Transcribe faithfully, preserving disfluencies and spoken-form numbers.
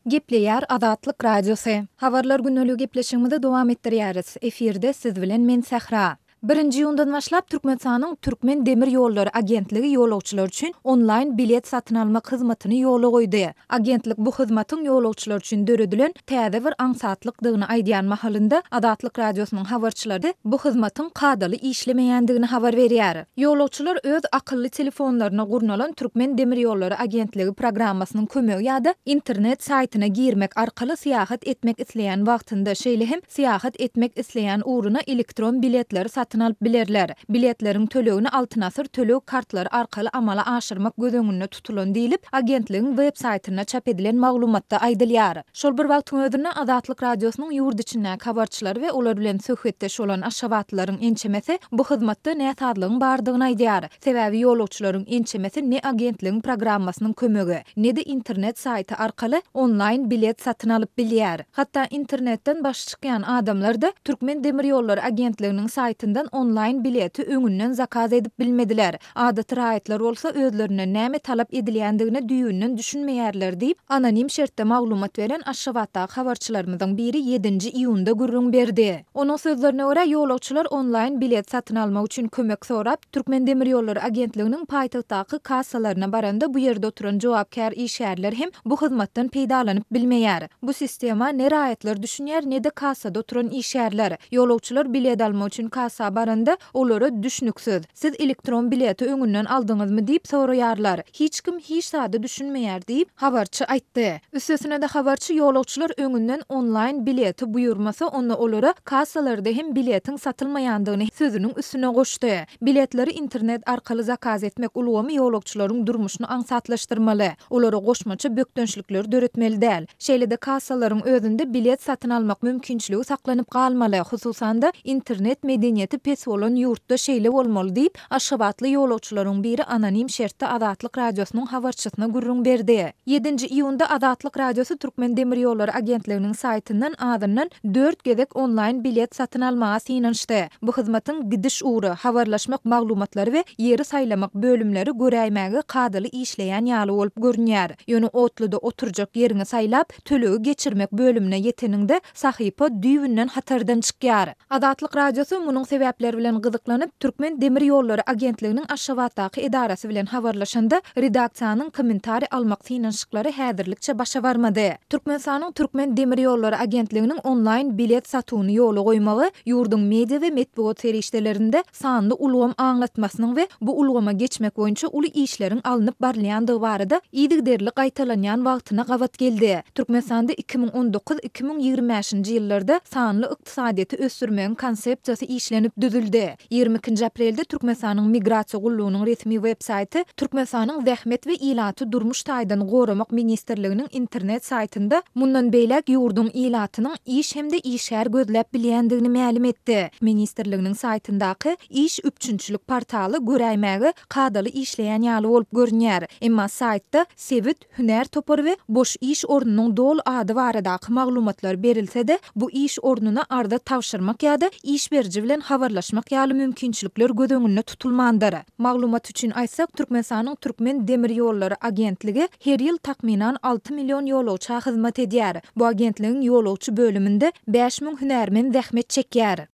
Gepleýär Azatlyk Radiosy. Habarlar gündeligi gepleşigimizi dowam etdirýäris. Efirde siz bilen men Sähra. Birinji iýundan başlap Türkmenistanyň Türkmen demir ýollary agentligi ýolagçylar üçin onlaýn bilet satyn almak hyzmatyny ýola goýdy. Agentlik bu hyzmatyň ýolagçylar üçin döredilen täze bir aňsatlykdygyny aýdýan mahalynda, Azatlyk Radiosynyň habarçylary bu hyzmatyň kadaly işlemeýändigini habar berýär. Ýolagçylar öz akylly telefonlaryna gurnalan Türkmen demir ýollary agentligi programmasynyň kömegi ýa-da internet saýtyna girmek arkaly syýahat etmek isleýän wagtynda, şeýle hem syýahat etmek isleýän ugruna elektron biletleri satyn alyp bilerler. Biletleriň tölegini Altyn Asyr töleg kartlary arkaly amala aşyrmak göz öňünde tutulan diýlip, agentligiň web saýtynda çap edilen maglumatda aýdylýar. Şol bir wagtyň özünde, Azatlyk Radiosynyň ýurt içindäki habarçylary we olar bilen söhbetdeş bolan aşgabatlylaryň ençemesi bu hyzmatda näsazlygyň bardygyny aýdýar. Sebäbi ýolagçylaryň ençemesi ne agentligiň programmasynyň kömegi, ne-de internet saýty arkaly onlaýn bilet satyn alyp bilýär. Hatda internetden başy çykýan adamlar-da Türkmen demir ýollary agentliginiň saýtyndan onlaýn bileti öňünden zakaz edip bilmediler. Adaty raýatlar bolsa özlerinden näme talap edilýändigine düýbünden düşünmeýärler diýip, anonim şertde maglumat beren Aşgabatdaky habarçylarymyzyň biri ýedinji iýunda gürrüň berdi. Onuň sözlerine görä, ýolagçylar onlaýn bilet satyn almak üçin kömek sorap, Türkmendemirýollary agentliginiň paýtagtdaky kassalaryna baranda bu ýerde oturan jogapkär işgärler hem bu hyzmatdan peýdalanyp bilmeýär. Bu sistema ne raýatlar düşünýär, ne-de kassada oturan işgärler. Ýolagçylar bilet almak üçin kassa baranda, olara düşnüksiz, Siz elektron bileti öňünden aldyňyzmy diýip soraýarlar. Hiç kim hiç zada düşünmeýär diýip, habarçy aýtdy. Üstesine-de habarçy ýolagçylar öňünden onlaýn bileti buýurmasa, onda olara kassalarda hem biletiň satylmaýandygyny sözüniň üstüne goşdy. Biletleri internet arkaly zakaz etmek ulgamy ýolagçylaryň durmuşyny aňsatlaşdyrmaly, olara goşmaça bökdençlikleri döretmeli däl. Şeýle-de kassalaryň özünde bilet satyn almak mümkinçiligi saklanyp galmaly, hususan-da, internet medeniýeti pes bolan ýurtda şeýle bolmaly diýip, aşgabatly ýolagçylaryň biri anonim şertde Azatlyk Radiosynyň habarçysyna gürrüň berdi. Ýedinji iýunda Azatlyk Radiosy Türkmendemirýollary agentliginiň saýtyndan azyndan dört gezek onlaýn bilet satyn almaga synanyşdy. Bu hyzmatyň gidiş ugry, habarlaşmak maglumatlary we ýeri saýlamak bölümleri göräýmäge kadaly işleýän ýaly bolup görünýär. Ýöne otluda oturjak ýeriňi saýlap, tölegi geçirmek bölümine ýeteniňde, sahypa düýbünden hatardan çykýar. Azatlyk Radiosy munuň sebäpleri bilen gyzyklanyp, Türkmen demir ýollary agentliginiň Aşgabatdaky edarasy bilen habarlaşanda, redaksiýanyň kommentariý almak synanyşyklary häzirlikçe başa barmady. Türkmenistanyň Türkmen demir ýollary agentliginiň onlaýn bilet satuwyny ýola goýmagy ýurduň media we metbugat serişdelerinde sanly ulgam aňlatmasynyň we bu ulgama geçmek boýunça uly işleriň alnyp barylýandygy barada yzygiderli gaýtalanýan wagtyna gabat geldi. Türkmenistanda iki müň on dokuz, iki müň ýigrimi bäşinji ýyllarda sanly ykdysadyýeti ösdürmegiň konsepsiýasy işlenip düzüldi. Ýigrimi ikinji aprelde Türkmenistanyň Migrasiýa gullugynyň resmi web saýty Türkmenistanyň Zähmet we ilaty durmuş taýdan goramak ministrliginiň internet saýtynda mundan beýläk ýurduň ilatynyň iş hem-de işgär gözläp bilýändigini mälim etdi. Ministrliginiň saýtyndaky iş üpjünçilik portaly göräýmäge kadaly işleýän ýaly bolup görünýär. Emma saýtda sebit, hünär topary we boş iş ornunyň doly ady baradaky maglumatlar berilse-de, bu iş ornuna arza tabşyrmak ýa-da iş beriji bilen habarlaşmak ýaly mümkinçilikler göz öňünde tutulmandyr. Maglumat üçin aýtsak, Türkmenistanyň Türkmen demir ýollary agentligi her ýyl takmynan alty million ýolagça hyzmat edýär. Bu agentligiň ýolagçy bölüminde bäş müň hünärmen zähmet çekýär.